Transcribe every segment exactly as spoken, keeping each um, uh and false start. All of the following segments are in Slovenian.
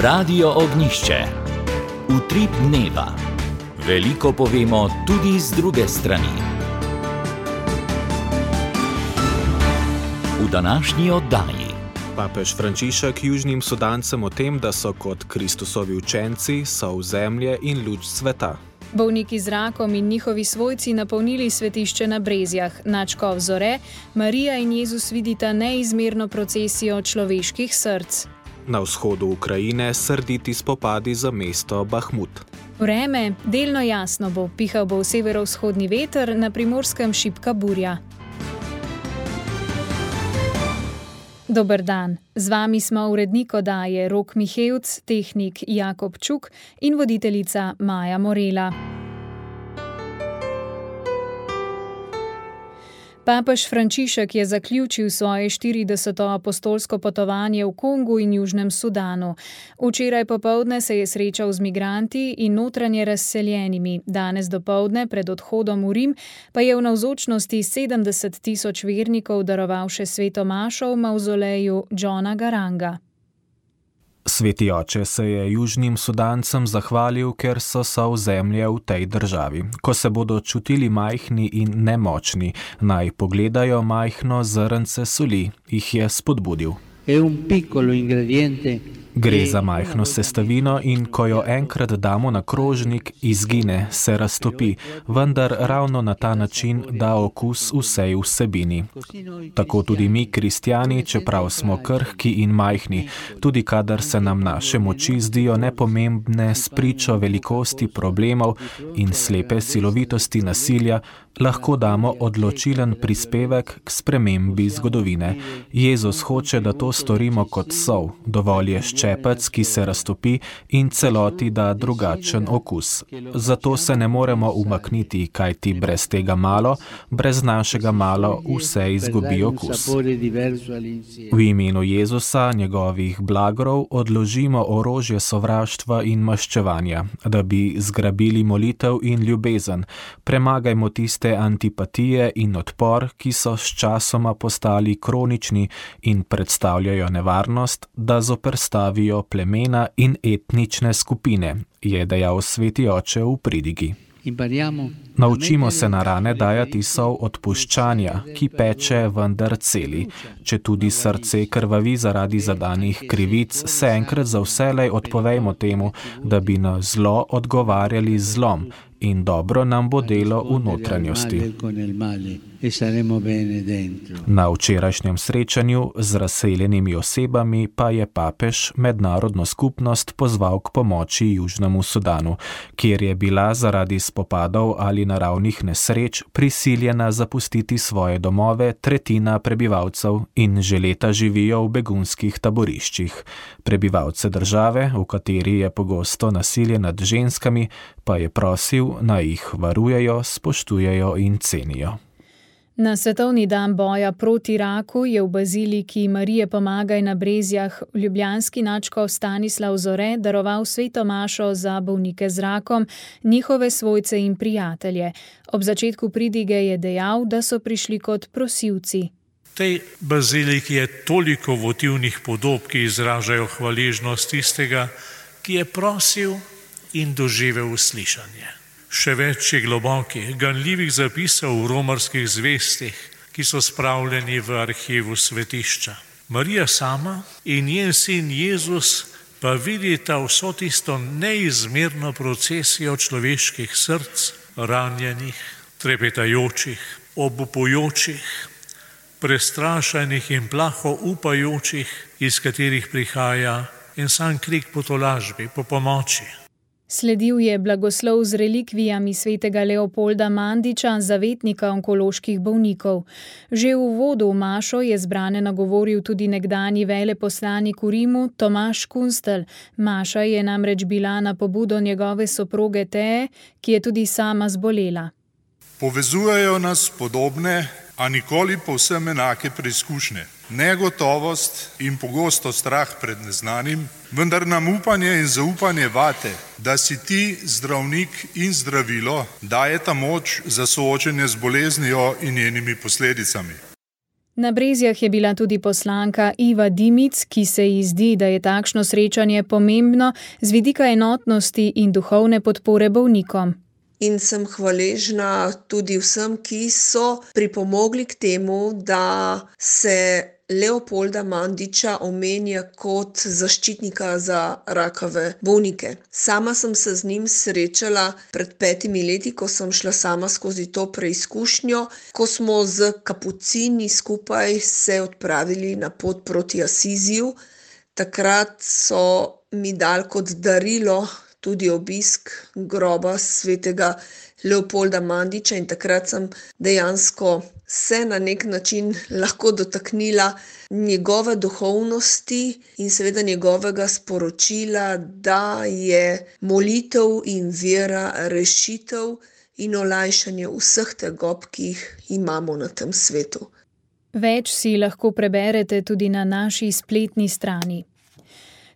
Radio Ognišče. Utrip dneva. Veliko povemo tudi z druge strani. V današnji oddaji. Papež Frančišek južnim Sudancem o tem, da so kot Kristusovi učenci, sol zemlje in luč sveta. Bolniki z rakom in njihovi svojci napolnili svetišče na Brezjah. Nadškof Zore, Marija in Jezus vidita neizmerno procesijo človeških src. Na vzhodu Ukrajine srditi spopadi za mesto Bahmut. Vreme, delno jasno bo, pihal bo v severovzhodni veter, na Primorskem šibka burja. Dober dan, z vami smo urednik oddaje Rok Mihevc, tehnik Jakob Čuk in voditeljica Maja Morela. Papež Frančišek je zaključil svoje štirideseto apostolsko potovanje v Kongu in Južnem Sudanu. Včeraj popoldne se je srečal z migranti in notranje razseljenimi. Danes dopoldne pred odhodom v Rim pa je v navzočnosti sedemdeset tisoč vernikov daroval še sveto mašo v mavzoleju Johna Garanga. Sveti oče se je južnim Sudancem zahvalil, ker so sol zemlje v tej državi. Ko se bodo čutili majhni in nemočni, naj pogledajo majhno zrnce soli, jih je spodbudil. Gre za majhno sestavino in ko jo enkrat damo na krožnik, izgine, se raztopi, vendar ravno na ta način da okus vsej vsebini. Tako tudi mi, kristjani, čeprav smo krhki in majhni, tudi kadar se nam naše moči zdijo nepomembne spričo velikosti problemov in slepe silovitosti nasilja, lahko damo odločilen prispevek k spremembi zgodovine. Jezus hoče, da to storimo kot sol, dovolj je ščepec, ki se raztopi in celoti da drugačen okus. Zato se ne moremo umakniti, kajti brez tega malo, brez našega malo vse izgubi okus. V imenu Jezusa, njegovih blagorov, odložimo orožje sovraštva in maščevanja, da bi zgrabili molitev in ljubezen. Premagajmo tiste antipatije in odpor, ki so s časoma postali kronični in predstavljajo nevarnost, da zoperstavijo plemena in etnične skupine, je dejal sveti oče v pridigi. Naučimo se na rane dajati sol odpuščanja, ki peče, vendar celi. Če tudi srce krvavi zaradi zadanih krivic, se enkrat za vselej odpovejmo temu, da bi na zlo odgovarjali z zlom, in dobro nam bo delo v notranjosti. Na včerajšnjem srečanju z razseljenimi osebami pa je papež mednarodno skupnost pozval k pomoči Južnemu Sudanu, kjer je bila zaradi spopadov ali naravnih nesreč prisiljena zapustiti svoje domove tretjina prebivalcev in že leta živijo v begunskih taboriščih. Prebivalce države, v kateri je pogosto nasilje nad ženskami, pa je prosil, naj jih varujejo, spoštujejo in cenijo. Na svetovni dan boja proti raku je v baziliki Marije Pomagaj na Brezjah ljubljanski nadškof Stanislav Zore daroval sveto mašo za bolnike z rakom, njihove svojce in prijatelje. Ob začetku pridige je dejal, da so prišli kot prosilci. V tej baziliki je toliko votivnih podob, ki izražajo hvaležnost tistega, ki je prosil in doživel uslišanje. Še več je globokih, ganljivih zapisov v romarskih zvestih, ki so spravljeni v arhivu svetišča. Marija sama in njen sin Jezus pa vidita vso tisto neizmerno procesijo človeških src, ranjenih, trepetajočih, obupujočih, prestrašenih in plaho upajočih, iz katerih prihaja en sam krik po tolažbi, po pomoči. Sledil je blagoslov z relikvijami svetega Leopolda Mandiča, zavetnika onkoloških bolnikov. Že v uvodu v mašo je zbrane nagovoril tudi nekdanji veleposlanik v Rimu Tomaž Kunstelj. Maša je namreč bila na pobudo njegove soproge Teje, ki je tudi sama zbolela. Povezujejo nas podobne, a nikoli povsem enake preizkušnje. Negotovost in pogosto strah pred neznanim, vendar nam upanje in zaupanje vate, da si ti zdravnik in zdravilo dajeta moč za soočenje z boleznijo in njenimi posledicami. Na Brezjah je bila tudi poslanka Iva Dimic, ki se ji zdi, da je takšno srečanje pomembno z vidika enotnosti in duhovne podpore bolnikom. In sem hvaležna tudi vsem, ki so pripomogli k temu, da se Leopolda Mandiča omenja kot zaščitnika za rakave bolnike. Sama sem se z njim srečala pred petimi leti, ko sem šla sama skozi to preizkušnjo, ko smo z kapucini skupaj se odpravili na pot proti Asiziju. Takrat so mi dali kot darilo tudi obisk groba svetega Leopolda Mandiča in takrat sem dejansko se na nek način lahko dotaknila njegove duhovnosti in seveda njegovega sporočila, da je molitev in vera rešitev in olajšanje vseh tegob, ki jih imamo na tem svetu. Več si lahko preberete tudi na naši spletni strani.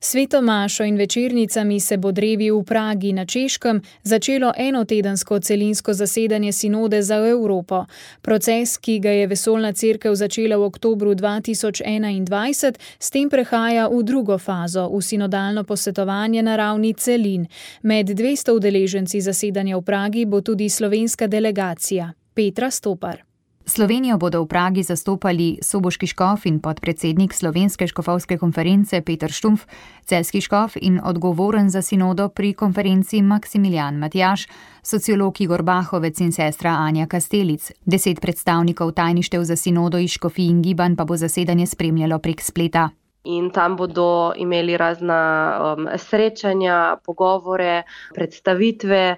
Sveto mašo in večernicami se bo drevi v Pragi na Češkem začelo enotedensko celinsko zasedanje sinode za Evropo. Proces, ki ga je Vesoljna cerkev začela v oktobru dva tisoč enaindvajset, s tem prehaja v drugo fazo, v sinodalno posvetovanje na ravni celin. Med dvesto udeleženci zasedanja v Pragi bo tudi slovenska delegacija. Petra Stopar. Slovenijo bodo v Pragi zastopali soboški škof in podpredsednik Slovenske škofovske konference Peter Štumpf, celjski škof in odgovoren za sinodo pri konferenci Maksimilijan Matjaž, sociolog Igor Bahovec in sestra Anja Kastelic. Deset predstavnikov tajništev za sinodo iz škofij in gibanj pa bo zasedanje spremljalo prek spleta. In tam bodo imeli razna um, srečanja, pogovore, predstavitve,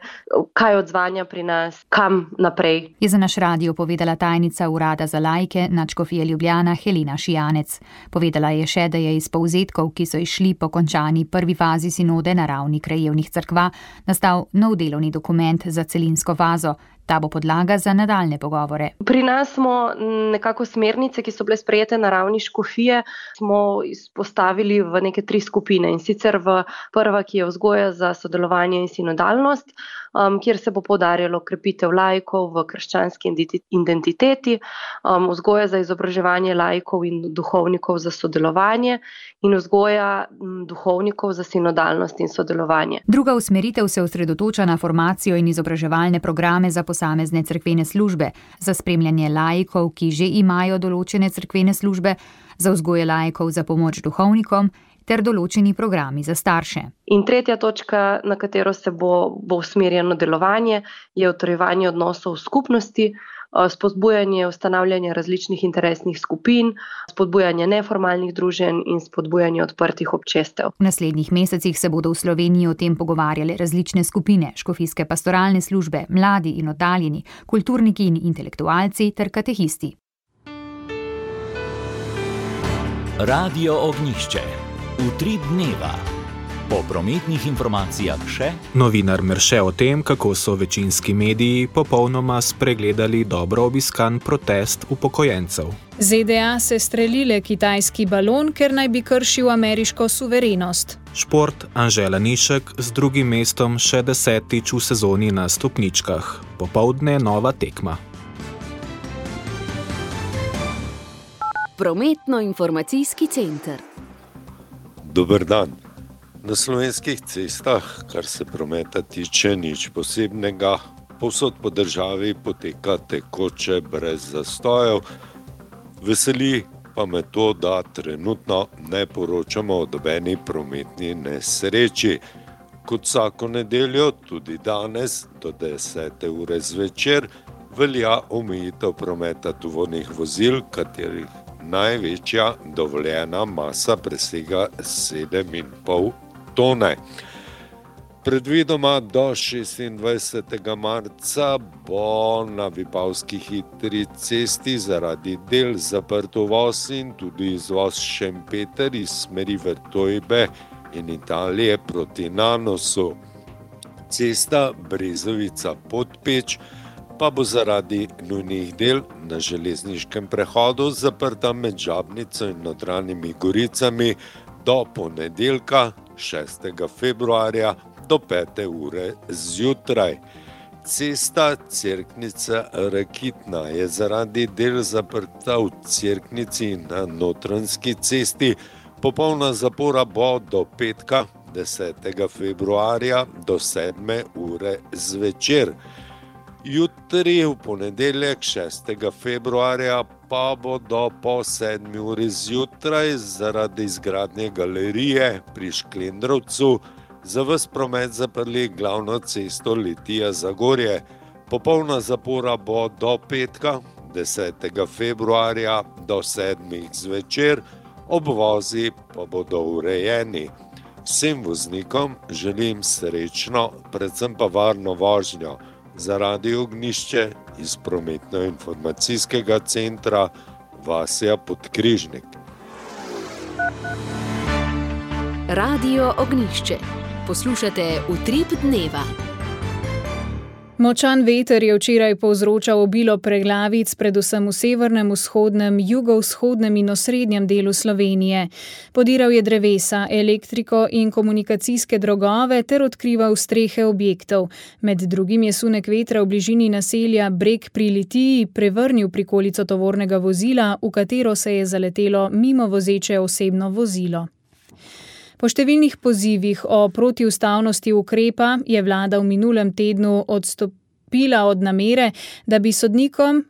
kaj odzvanja pri nas, kam naprej. Je za naš radio povedala tajnica Urada za laike Nadškofije Ljubljana Helena Šijanec. Povedala je še, da je iz povzetkov, ki so išli po končani prvi fazi sinode na ravni krajevnih cerkva, nastal nov delovni dokument za celinsko fazo. Ta bo podlaga za nadaljne pogovore. Pri nas smo nekako smernice, ki so bile sprejete na ravni škofije, smo izpostavili v neke tri skupine. In sicer v prva, ki je vzgoja za sodelovanje in sinodalnost, um, kjer se bo poudarjalo krepitev laikov v krščanski identiteti, um, vzgoja za izobraževanje laikov in duhovnikov za sodelovanje in vzgoja m, duhovnikov za sinodalnost in sodelovanje. Druga usmeritev se osredotoča na formacijo in izobraževalne programe za posamezne cerkvene službe, za spremljanje laikov, ki že imajo določene cerkvene službe, za vzgoje laikov za pomoč duhovnikom ter določeni programi za starše. In tretja točka, na katero se bo, bo usmerjeno delovanje, je utrjevanje odnosov v skupnosti, spodbujanje ustanavljanja različnih interesnih skupin, spodbujanje neformalnih druženj in spodbujanje odprtih občestev. V naslednjih mesecih se bodo v Sloveniji o tem pogovarjale različne skupine, škofijske pastoralne službe, mladi in oddaljeni, kulturniki in intelektualci ter katehisti. Radio Ognjišče. Utrip dneva. Po prometnih informacijah še novinar Merše o tem, kako so večinski mediji popolnoma spregledali dobro obiskan protest upokojencev. ZDA se strelile kitajski balon, ker naj bi kršil ameriško suverenost. Šport, Anžela Nišek z drugim mestom še desetič v sezoni na stopničkah. Popoldne nova tekma. Prometno-informacijski center. Dober dan. Na slovenskih cestah, kar se prometa tiče, nič posebnega. Povsod po državi poteka tekoče brez zastojev. Veseli pa me to, da trenutno ne poročamo o nobeni prometni nesreči. Kot vsako nedeljo, tudi danes do desete ure zvečer velja omejitev prometa tovornih vozil, katerih največja dovoljena masa presega sedem in pol tone. Predvidoma do šestindvajsetega marca bo na Vipavski hitri cesti zaradi del zaprt uvoz in tudi izvoz Šempeter iz smeri Vrtojbe in Italije proti Nanosu. Cesta Brezovica-Podpeč pa bo zaradi nujnih del na železniškem prehodu zaprta med Žabnico in Notranjimi Goricami do ponedeljka šestega februarja do pete ure zjutraj. Cesta Cerknica-Rakitna je zaradi del zaprta v Cerknici na Notranjski cesti. Popolna zapora bo do petka, desetega februarja, do sedme ure zvečer. Jutri, v ponedeljek, šestega februarja, pa bo do po sedmi uri zjutraj zaradi izgradnje galerije pri Šklendrovcu za ves promet zaprli glavno cesto Litija-Zagorje. Popolna zapora bo do petka, desetega februarja, do sedmih zvečer, obvozi pa bodo urejeni. Vsem voznikom želim srečno, predvsem pa varno vožnjo. Za Radio Ognjišče iz prometno-informacijskega centra Vasja Podkrižnik. Radio Ognjišče. Poslušate Utrip dneva. Močan veter je včeraj povzročal obilo preglavic, predvsem v severnem, vzhodnem, jugovzhodnem in osrednjem delu Slovenije. Podiral je drevesa, elektriko in komunikacijske drogove ter odkrival strehe objektov. Med drugim je sunek vetra v bližini naselja Breg pri Litiji prevrnil prikolico tovornega vozila, v katero se je zaletelo mimo vozeče osebno vozilo. Po številnih pozivih o protiustavnosti ukrepa je vlada v minulem tednu odstopila od namere, da bi sodnikom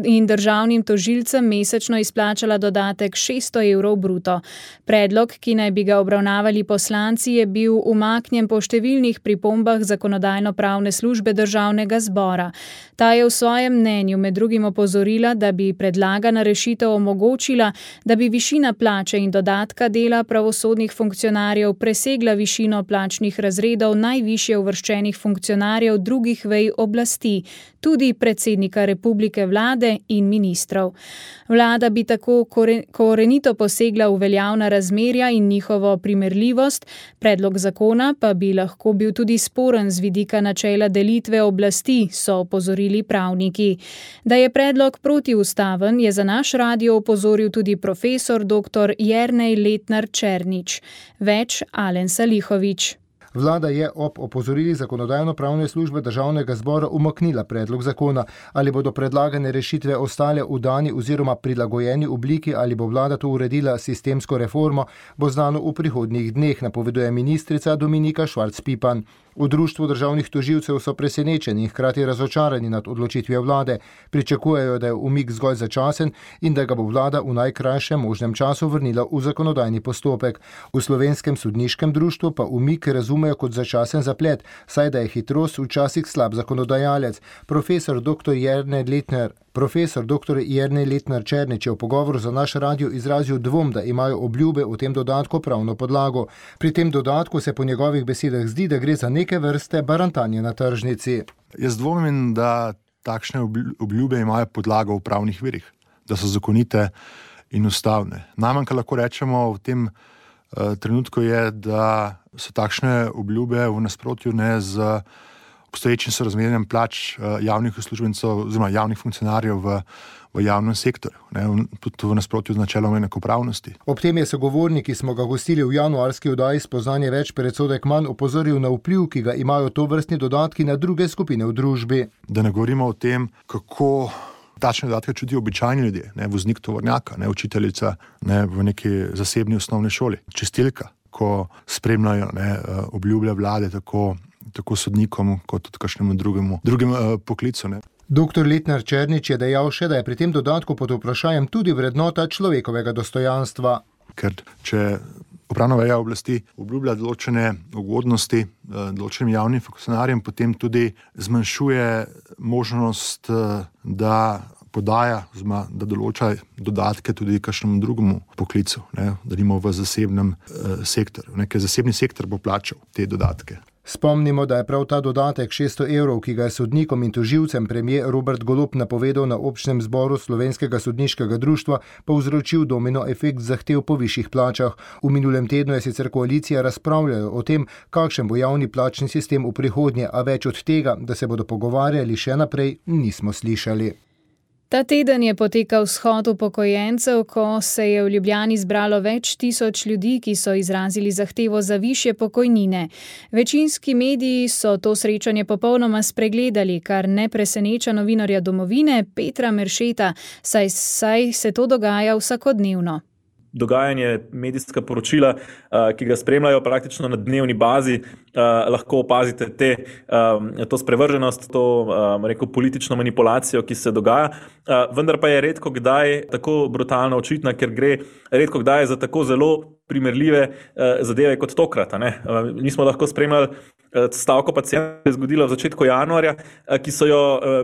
in državnim tožilcem mesečno izplačala dodatek šeststo evrov bruto. Predlog, ki naj bi ga obravnavali poslanci, je bil umaknjen po številnih pripombah Zakonodajno-pravne službe Državnega zbora. Ta je v svojem mnenju med drugim opozorila, da bi predlagana rešitev omogočila, da bi višina plače in dodatka dela pravosodnih funkcionarjev presegla višino plačnih razredov najvišje uvrščenih funkcionarjev drugih vej oblasti, tudi predsednika republike vlade in ministrov. Vlada bi tako korenito posegla v veljavna razmerja in njihovo primerljivost, predlog zakona pa bi lahko bil tudi sporen z vidika načela delitve oblasti, so opozorili pravniki. Da je predlog protiustaven, je za naš radio opozoril tudi profesor doktor Jernej Letnar Černič. Več Alen Salihovič. Vlada je ob opozorili Zakonodajno-pravne službe Državnega zbora umaknila predlog zakona. Ali bodo predlagane rešitve ostale v dani oziroma prilagojeni obliki ali bo vlada to uredila sistemsko reformo, bo znano v prihodnjih dneh, napoveduje ministrica Dominika Švarc-Pipan. V društvu državnih tožilcev so presenečeni in hkrati razočarani nad odločitvijo vlade. Pričakujejo, da je umik zgolj začasen in da ga bo vlada v najkrajšem možnem času vrnila v zakonodajni postopek. V Slovenskem sodniškem društvu pa umik razumejo kot začasen zaplet, saj da je hitrost včasih slab zakonodajalec. Profesor doktor Jernej Letnar Profesor doktor Jernej Letnar Černič je v pogovoru za naš radio izrazil dvom, da imajo obljube o tem dodatku pravno podlago. Pri tem dodatku se po njegovih besedah zdi, da gre za neke vrste barantanje na tržnici. Jaz dvomim, da takšne obljube imajo podlago v pravnih virih, da so zakonite in ustavne. Najmanj, kar lahko rečemo v tem uh, trenutku je, da so takšne obljube v nasprotju ne z obstoječim sorazmerjem plač javnih uslužbencev oziroma javnih funkcionarjev v, v javnem sektorju, ne, tudi v nasprotju z načelom enakopravnosti. Ob tem je sogovornik, ki smo ga gostili v januarski oddaji Spoznanje več, predsodek manj, opozoril na vpliv, ki ga imajo tovrstni dodatki na druge skupine v družbi. Da ne govorimo o tem, kako takšne dodatke čutijo običajni ljudje, ne, voznik tovornjaka, ne, učiteljica ne, v neki zasebni osnovni šoli, čistilka, ko spremljajo ne, obljublja vlade tako tako sodnikom, kot tudi kakšnemu drugemu, drugemu uh, poklicu. Ne. Doktor Letnar Černič je dejal še, da je pri tem dodatku pod vprašanjem tudi vrednota človekovega dostojanstva. Ker če upravna veja oblasti obljublja določene ugodnosti uh, določenim javnim funkcionarjem, potem tudi zmanjšuje možnost, uh, da podaja, zma, da določa dodatke tudi kakšnemu drugemu poklicu, ne, da nimo v zasebnem uh, sektorju. Ker zasebni sektor bo plačal te dodatke. Spomnimo, da je prav ta dodatek šeststo evrov, ki ga je sodnikom in tožilcem premier Robert Golob napovedal na občnem zboru Slovenskega sodniškega društva, povzročil domino efekt zahtev po višjih plačah. V minulem tednu je sicer koalicija razpravljala o tem, kakšen bo javni plačni sistem v prihodnje, a več od tega, da se bodo pogovarjali še naprej, nismo slišali. Ta teden je potekal shod upokojencev, ko se je v Ljubljani zbralo več tisoč ljudi, ki so izrazili zahtevo za višje pokojnine. Večinski mediji so to srečanje popolnoma spregledali, kar ne preseneča novinarja Domovine Petra Meršeta, saj, saj se to dogaja vsakodnevno. Dogajanje, medijska poročila, ki ga spremljajo praktično na dnevni bazi, lahko opazite te, to sprevrženost, to rekel, politično manipulacijo, ki se dogaja, vendar pa je redko kdaj tako brutalno očitna, ker gre redko kdaj za tako zelo primerljive zadeve kot tokrat. Ne? Mi smo lahko spremljali stavko pacientov, ki je zgodila v začetku januarja, ki so jo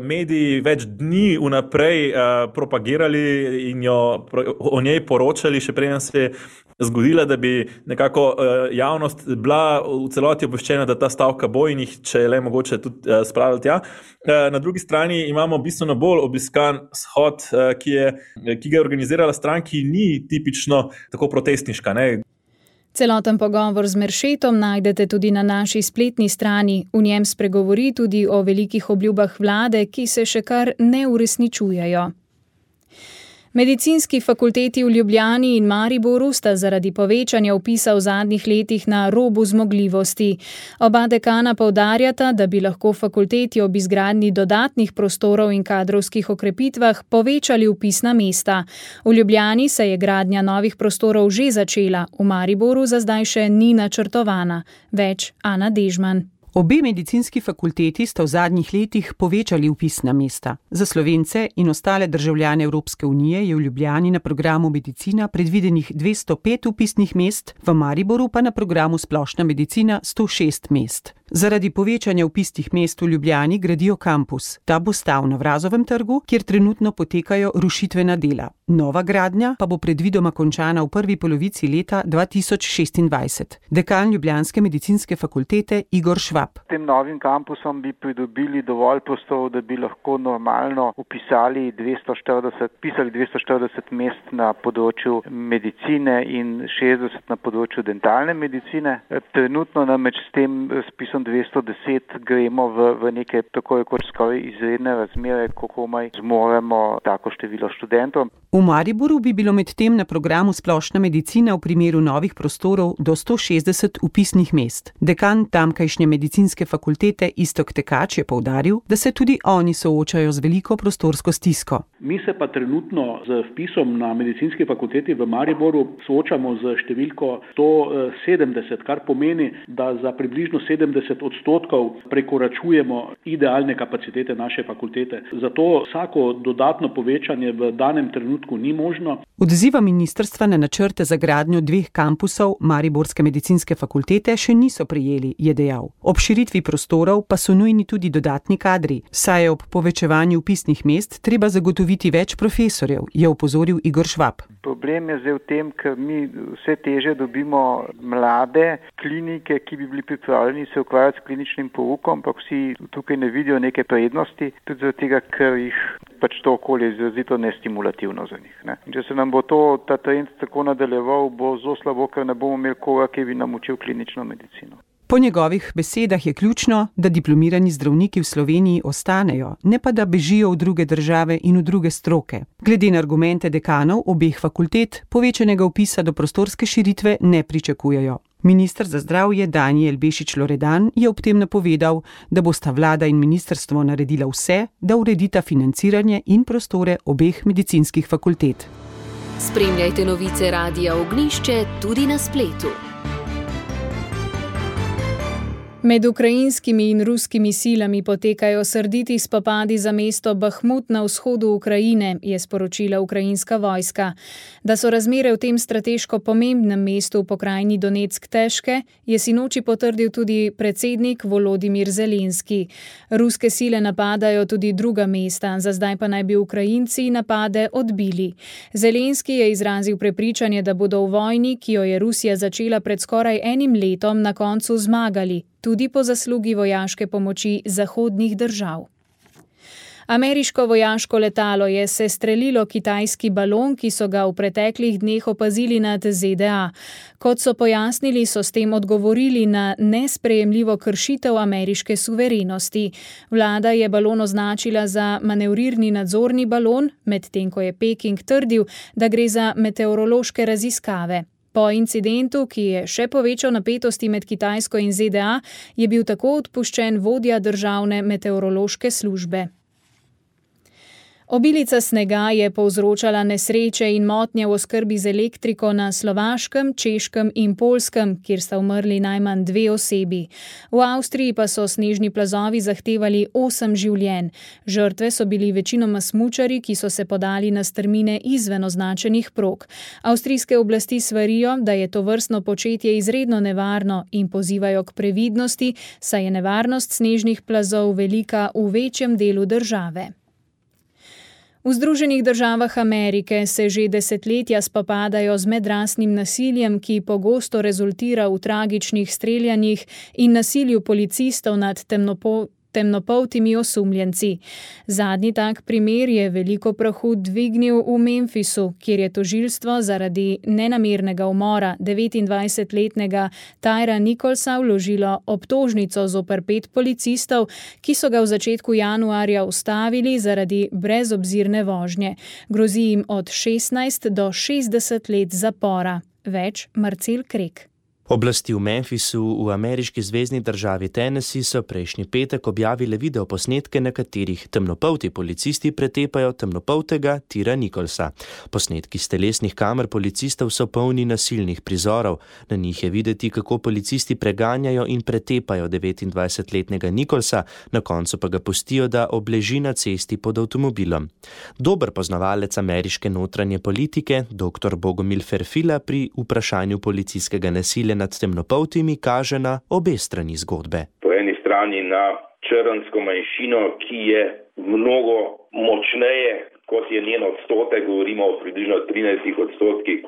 mediji več dni vnaprej propagirali in jo o njej poročali, še preden se je zgodila, da bi nekako javnost bila v celoti obveščena, da ta stavka bo in jih, če je le mogoče, tudi spravili tja. Na drugi strani imamo bistveno bolj obiskan shod, ki, je, ki ga je organizirala stran, ki ni tipično tako protestniška. Ne? Celoten pogovor z Meršetom najdete tudi na naši spletni strani. V njem spregovori tudi o velikih obljubah vlade, ki se še kar ne uresničujejo. Medicinski fakulteti v Ljubljani in Mariboru sta zaradi povečanja vpisa v zadnjih letih na robu zmogljivosti. Oba dekana poudarjata, da bi lahko fakulteti ob izgradnji dodatnih prostorov in kadrovskih okrepitvah povečali vpisna mesta. V Ljubljani se je gradnja novih prostorov že začela, v Mariboru za zdaj še ni načrtovana. Več Ana Dežman. Obe medicinski fakulteti sta v zadnjih letih povečali vpisna mesta. Za Slovence in ostale državljane Evropske unije je v Ljubljani na programu medicina predvidenih dvesto pet vpisnih mest, v Mariboru pa na programu splošna medicina sto šest mest. Zaradi povečanja vpisnih mest v Ljubljani gradijo kampus. Ta bo stal na Vrazovem trgu, kjer trenutno potekajo rušitvena dela. Nova gradnja pa bo predvidoma končana v prvi polovici leta dva tisoč šestindvajset. Dekan ljubljanske medicinske fakultete Igor Švab. S tem novim kampusom bi pridobili dovolj prostorov, da bi lahko normalno upisali dvesto štirideset, pisali dvesto štirideset mest na področju medicine in šestdeset na področju dentalne medicine. Trenutno namreč s tem spisom dvesto deset gremo v, v neke tako kot skoraj izredne razmere, ko komaj zmoremo tako število študentov. V Mariboru bi bilo medtem na programu splošna medicina v primeru novih prostorov do sto šestdeset vpisnih mest. Dekan tamkajšnje medicinske fakultete Iztok Tekač je poudaril, da se tudi oni soočajo z veliko prostorsko stisko. Mi se pa trenutno z vpisom na medicinski fakulteti v Mariboru soočamo z številko sto sedemdeset, kar pomeni, da za približno sedemdeset odstotkov prekoračujemo idealne kapacitete naše fakultete. Zato vsako dodatno povečanje v danem trenutku ni možno. Odziva ministrstva na načrte za gradnjo dveh kampusov Mariborske medicinske fakultete še niso prejeli, je dejal. Ob širitvi prostorov pa so nujni tudi dodatni kadri, saj je ob povečevanju vpisnih mest treba zagotoviti več profesorjev, je opozoril Igor Švab. Problem je zdaj v tem, ker mi vse teže dobimo mlade klinike, ki bi bili pripravljeni se ukvarjati s kliničnim poukom, ampak vsi tukaj ne vidijo neke prednosti, tudi zaradi tega, ker jih pač to okolje izrazito nestimulativno za njih. Ne. Če se nam bo to, ta trend tako nadaljeval, bo zelo slabo, ker ne bomo imeli koga, ki bi nam učil klinično medicino. Po njegovih besedah je ključno, da diplomirani zdravniki v Sloveniji ostanejo, ne pa da bežijo v druge države in v druge stroke. Glede na argumente dekanov obeh fakultet, povečanega vpisa do prostorske širitve ne pričakujejo. Minister za zdravje Danijel Bešič Loredan je ob tem napovedal, da bosta vlada in ministrstvo naredila vse, da uredita financiranje in prostore obeh medicinskih fakultet. Spremljajte novice Radia Ognišče tudi na spletu. Med ukrajinskimi in ruskimi silami potekajo srditi spopadi za mesto Bahmut na vzhodu Ukrajine, je sporočila ukrajinska vojska. Da so razmere v tem strateško pomembnem mestu v pokrajini Donetsk težke, je sinoči potrdil tudi predsednik Volodimir Zelenski. Ruske sile napadajo tudi druga mesta, za zdaj pa naj bi Ukrajinci napade odbili. Zelenski je izrazil prepričanje, da bodo v vojni, ki jo je Rusija začela pred skoraj enim letom, na koncu zmagali, tudi po zaslugi vojaške pomoči zahodnih držav. Ameriško vojaško letalo je sestrelilo kitajski balon, ki so ga v preteklih dneh opazili nad Z D A. Kot so pojasnili, so s tem odgovorili na nesprejemljivo kršitev ameriške suverenosti. Vlada je balon označila za manevrirni nadzorni balon, medtem ko je Peking trdil, da gre za meteorološke raziskave. Po incidentu, ki je še povečal napetosti med Kitajsko in Z D A, je bil tako odpuščen vodja državne meteorološke službe. Obilica snega je povzročala nesreče in motnje v oskrbi z elektriko na Slovaškem, Češkem in Poljskem, kjer sta umrli najmanj dve osebi. V Avstriji pa so snežni plazovi zahtevali osem življenj. Žrtve so bili večinoma smučarji, ki so se podali na strmine izven označenih prog. Avstrijske oblasti svarijo, da je tovrstno početje izredno nevarno in pozivajo k previdnosti, saj je nevarnost snežnih plazov velika v večjem delu države. V Združenih državah Amerike se že desetletja spopadajo z medrasnim nasiljem, ki pogosto rezultira v tragičnih streljanjih in nasilju policistov nad temnopoltimi temnopoltimi osumljenci. Zadnji tak primer je veliko prahu dvignil v Memphisu, kjer je tožilstvo zaradi nenamernega umora devetindvajsetletnega Tyra Nicholsa vložilo obtožnico zoper pet policistov, ki so ga v začetku januarja ustavili zaradi brezobzirne vožnje. Grozi jim od šestnajst do šestdeset let zapora. Več Marcel Krek. Oblasti v Memphisu v ameriški zvezni državi Tennessee so prejšnji petek objavile videoposnetke, na katerih temnopolti policisti pretepajo temnopoltega Tyra Nicholsa. Posnetki s telesnih kamer policistov so polni nasilnih prizorov. Na njih je videti, kako policisti preganjajo in pretepajo devetindvajsetletnega Nicholsa, na koncu pa ga pustijo, da obleži na cesti pod avtomobilom. Dober poznavalec ameriške notranje politike, doktor Bogomil Ferfila, pri vprašanju policijskega nasilja nad temnopoltimi kaže na obe strani zgodbe. Po eni strani na črnsko manjšino, ki je mnogo močneje, kot je njen odstotek, govorimo o približno trinajstih odstotkih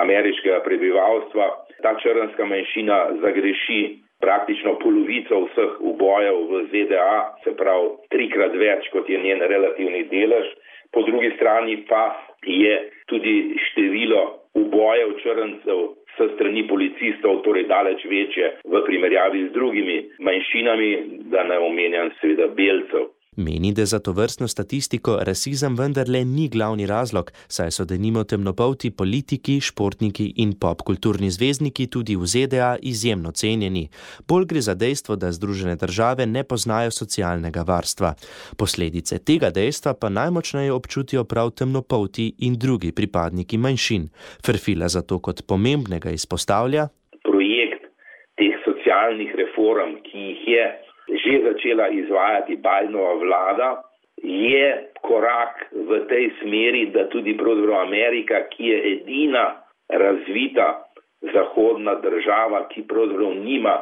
ameriškega prebivalstva. Ta črnska manjšina zagreši praktično polovico vseh ubojev v Z D A, se pravi trikrat več, kot je njen relativni delež. Po drugi strani pa je tudi število ubojev črncev s strani policistov, torej daleč večje v primerjavi z drugimi manjšinami, da ne omenjam seveda belcev. Meni, da za tovrstno statistiko rasizem vendarle ni glavni razlog, saj so denimo temnopolti politiki, športniki in popkulturni zvezdniki tudi v Z D A izjemno cenjeni. Bolj gre za dejstvo, da Združene države ne poznajo socialnega varstva. Posledice tega dejstva pa najmočneje občutijo prav temnopolti in drugi pripadniki manjšin. Ferfila zato kot pomembnega izpostavlja: projekt teh socialnih reform, ki jih je že začela izvajati Bidenova vlada, je korak v tej smeri, da tudi pravzaprav Amerika, ki je edina razvita zahodna država, ki pravzaprav nima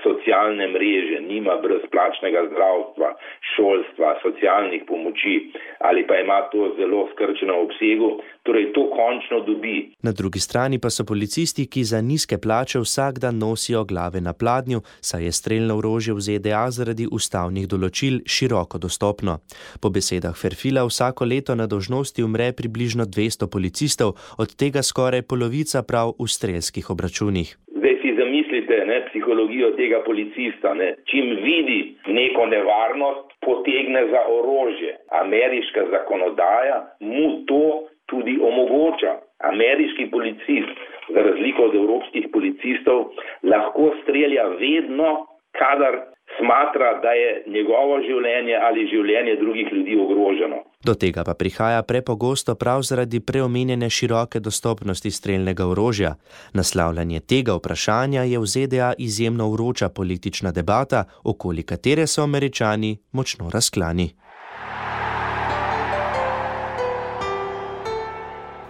socialne mreže, nima brezplačnega zdravstva, šolstva, socialnih pomoči ali pa ima to zelo skrčeno obsegu, torej to končno dobi. Na drugi strani pa so policisti, ki za nizke plače vsak dan nosijo glave na pladnju, saj je strelno orožje v Z D A zaradi ustavnih določil široko dostopno. Po besedah Ferfila vsako leto na dolžnosti umre približno dvesto policistov, od tega skoraj polovica prav v strelskih obračunih. Zdaj si zamislite ne, psihologijo tega policista. Ne. Čim vidi neko nevarnost, potegne za orožje. Ameriška zakonodaja mu to tudi omogoča. Ameriški policist, za razliko od evropskih policistov, lahko strelja vedno, kadar smatra, da je njegovo življenje ali življenje drugih ljudi ogroženo. Do tega pa prihaja prepogosto prav zaradi preomenjene široke dostopnosti strelnega orožja. Naslavljanje tega vprašanja je v Z D A izjemno vroča politična debata, okoli katere so Američani močno razklani.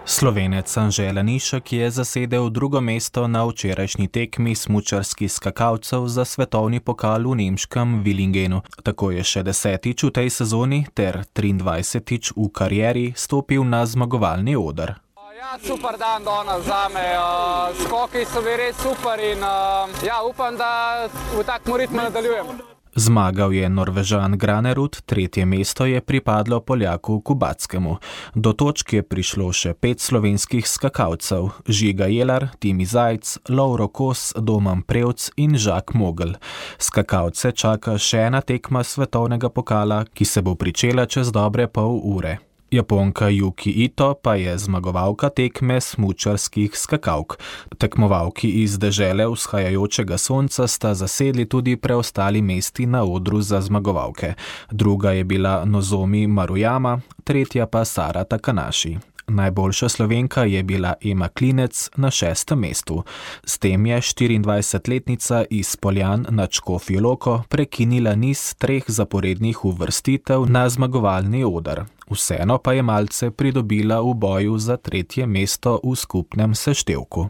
Slovenec Anže Lanišek je zasedel drugo mesto na včerajšnji tekmi smučarskih skakalcev za svetovni pokal v nemškem Villingenu. Tako je še desetič v tej sezoni ter triindvajsetič v karieri stopil na zmagovalni oder. Ja, super dan danes zame. Skoki so bili res super in ja, upam, da v takem ritmu nadaljujem. Zmagal je Norvežan Granerud, tretje mesto je pripadlo Poljaku Kubackemu. Do točke je prišlo še pet slovenskih skakalcev: Žiga Jelar, Timi Zajc, Lovro Kos, Domen Prevc in Žak Mogl. Skakalce čaka še ena tekma svetovnega pokala, ki se bo pričela čez dobre pol ure. Japonka Yuki Ito pa je zmagovalka tekme smučarskih skakalk. Tekmovalki iz dežele vzhajajočega sonca sta zasedli tudi preostali mesti na odru za zmagovalke. Druga je bila Nozomi Maruyama, tretja pa Sara Takanashi. Najboljša Slovenka je bila Ema Klinec na šestem mestu. S tem je štiriindvajsetletnica iz Poljan nad Škofjo Loko prekinila niz treh zaporednih uvrstitev na zmagovalni oder. Vseeno pa je malce pridobila v boju za tretje mesto v skupnem seštevku.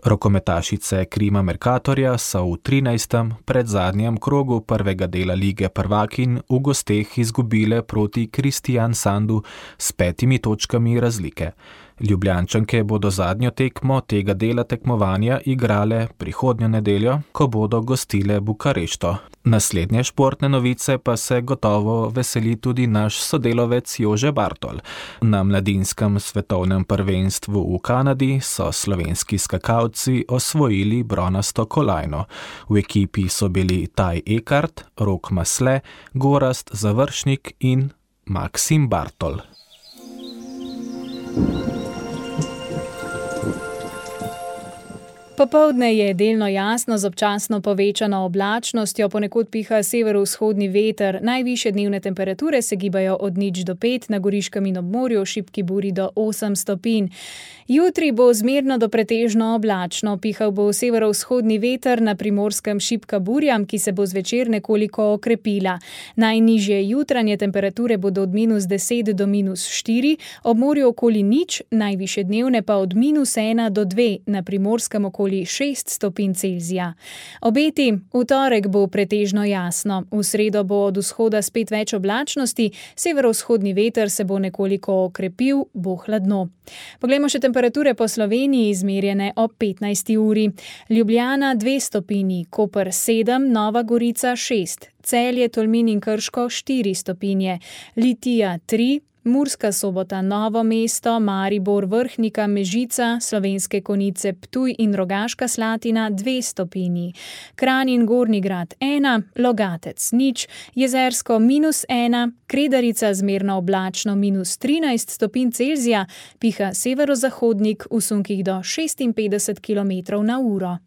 Rokometašice Krima Mercatorja so v trinajstem predzadnjem krogu prvega dela lige prvakinj v gosteh izgubile proti Kristiansandu s petimi točkami razlike. Ljubljančanke bodo zadnjo tekmo tega dela tekmovanja igrale prihodnjo nedeljo, ko bodo gostile Bukarešto. Naslednje športne novice pa se gotovo veseli tudi naš sodelovec Jože Bartol. Na mladinskem svetovnem prvenstvu v Kanadi so slovenski skakalci osvojili bronasto kolajno. V ekipi so bili Taj Ekart, Rok Masle, Gorazd Završnik in Maksim Bartol. Popoldne je delno jasno z občasno povečano oblačnostjo, ponekod piha severovzhodni veter, najvišje dnevne temperature se gibajo od nič do pet, na Goriškem in ob morju šibki buri do osem stopinj. Jutri bo zmerno do pretežno oblačno, pihal bo severovzhodni veter, na Primorskem šibka burja, ki se bo zvečer nekoliko okrepila. Najnižje jutranje temperature bodo od minus deset do minus štiri, ob morju okoli nič, najvišje dnevne pa od minus ena do dve, na Primorskem okoli šest stopinj Celzija. Obeti: v torek bo pretežno jasno, v sredo bo od vzhoda spet več oblačnosti, severovzhodni veter se bo nekoliko okrepil, bo hladno. Poglejmo še temperature po Sloveniji, izmerjene ob petnajsti uri. Ljubljana dve stopinji, Koper sedem, Nova Gorica šest, Celje, Tolmin in Krško štiri stopinje, Litija tri, Murska Sobota, Novo mesto, Maribor, Vrhnika, Mežica, Slovenske Konjice, Ptuj in Rogaška Slatina dve stopinji, Kranj in Gornji Grad ena, Logatec nič, Jezersko minus ena, Kredarica zmerno oblačno minus trinajst stopinj Celzija, piha severozahodnik v sunkih do šestinpetdeset kilometrov na uro.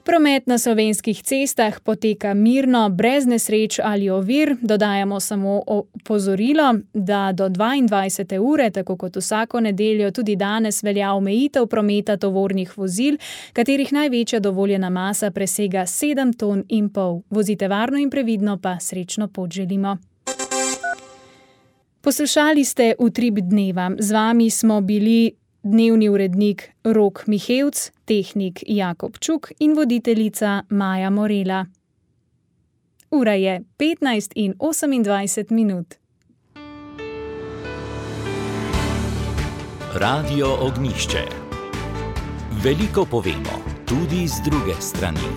Promet na slovenskih cestah poteka mirno, brez nesreč ali ovir. Dodajamo samo opozorilo, da do dvaindvajsete ure, tako kot vsako nedeljo, tudi danes velja omejitev prometa tovornih vozil, katerih največja dovoljena masa presega sedem ton in pol. Vozite varno in previdno, pa srečno pot želimo. Poslušali ste Utrip dneva. Z vami smo bili dnevni urednik Rok Mihevc, tehnik Jakob Čuk in voditeljica Maja Morela. Ura je petnajst in osemindvajset minut. Radio Ognjišče. Veliko povemo, tudi z druge strani.